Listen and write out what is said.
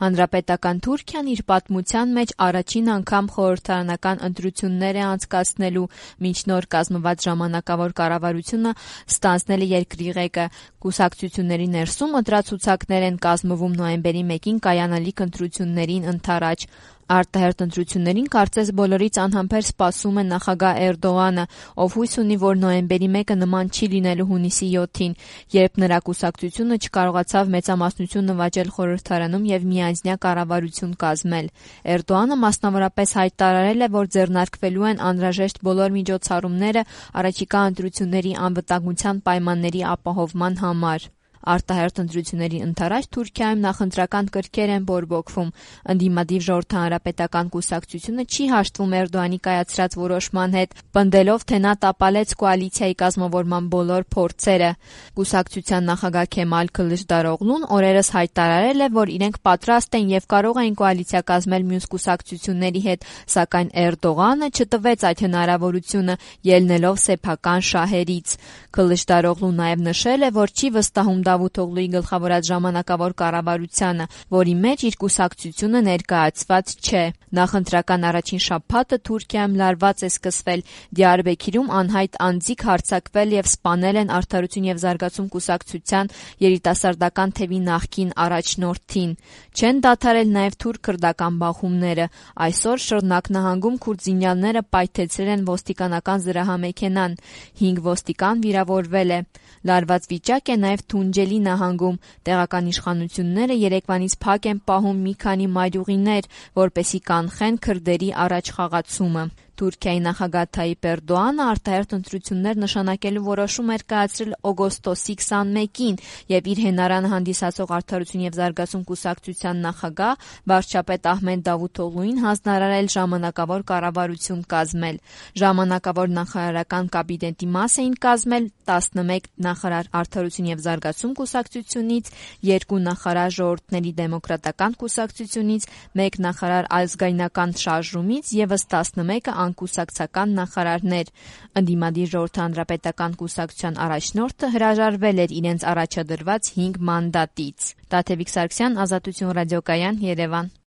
Հանրապետական Թուրքիան իր պատմության մեջ առաջին անգամ խորհրդարանական ընտրություններ է անցկացնելու, մինչ նոր կազմված ժամանակավոր կառավարությունը ստանձնել է երկրի ղեկը։ Կուսակցությունների ներսում ընտրացուցակներ են կազմվում նոյեմբերի 1-ին կայանալիք ընտրություններին ընդառաջ։ Արտահերթ ընտրություններին կարծես բոլորից անհամբեր սպասում է նախագահ Էրդողանը, ով հույս ունի, որ նոյեմբերի 1-ը նման չի լինելու հունիսի 7-ին, երբ նրա կուսակցությունը չկարողացավ մեծամասնություն նվաճել խորհրդարանում եւ միանձնյա կառավարություն կազմել։ Էրդողանը մասնավորապես հայտարարել է, որ ձեռնարկվելու են անհրաժեշտ բոլոր միջոցառումները առաջիկա ընտրությունների անվտանգության պայմանների ապահովման համար։ Արտահերթ ընտրությունների ընդառաջ Թուրքիայում նախընտրական կրքեր են բորբոքվում։ Ընդդիմադիր ժողովրդահանրապետական կուսակցությունը չի հաշտվում Էրդողանի կայացրած որոշման հետ, պնդելով, թե նա տապալեց կոալիցիայի կազմավորման բոլոր փորձերը։ Կուսակցության նախագահ Քեմալ Քլիշդարօղլուն օրերս հայտարարել է, որ իրենք պատրաստ են եւ կարող են կոալիցիա կազմել մյուս կուսակցությունների հետ, սակայն Էրդողանը չտվեց այդ հնարավորությունը, ելնելով սեփական շահերից։ Քլիշդարօղլուն նաեւ նշել է, որ չի վստահում Դավութօղլուի գլխավորած ժամանակավոր կառավարությանը, որի մեջ իր կուսակցությունը ներկայացված չէ։ Նախընտրական առաջին շաբաթը Թուրքիայում լարված է սկսվել։ Դիարբեքիրում անհայտ անձիկ հարձակվել եւ սպանել են Արդարություն եւ զարգացում կուսակցության երիտասարդական թևի նախկին առաջնորդին։ Չեն դադարել նաեւ թուրք-քրդական բախումները։ Այսօր Շռնակ նահանգում քուրդ զինյալները պայթեցրել են ոստիկանական զրահամեքենան։ 5 ոստիկան վիրավորվել է։ Լարված վիճակ է նաեւ Թունջելի նահանգում։ Տեղական իշխանությունները երեկվանից փակ են պահում մի քանի մայրուղիներ, որպեսզի կանխեն քրդերի առաջխաղացումը։ Թուրքիայի նախագահ Թայիպ Էրդողանը արտահերթ ընտրություններ նշանակելու որոշում էր կայացրել օգոստոսի 21-ին եւ իր հենարանը հանդիսացող Արդարություն եւ զարգացում կուսակցության նախագահ վարչապետ Ահմեդ Դավութօղլուին հանձնարարել ժամանակավոր կառավարություն կազմել։ Ժամանակավոր նախարարական կաբինետի մաս էին կազմել 11 նախարար Արդարություն եւ զարգացում կուսակցությունից, 2 նախարար Ժողովուրդների դեմոկրատական կուսակցությունից, 1 նախարար Ազգայնական շարժումից եւս 11-ը անկուսակցական նախարարներ։ Ընդդիմադիր ժողովրդահանրապետական կուսակցության առաջնորդը հրաժարվել էր իրենց առաջադրված 5 մանդատից։ Տաթևիկ Սարգսյան, Ազատություն ռադիոկայան, Երևան։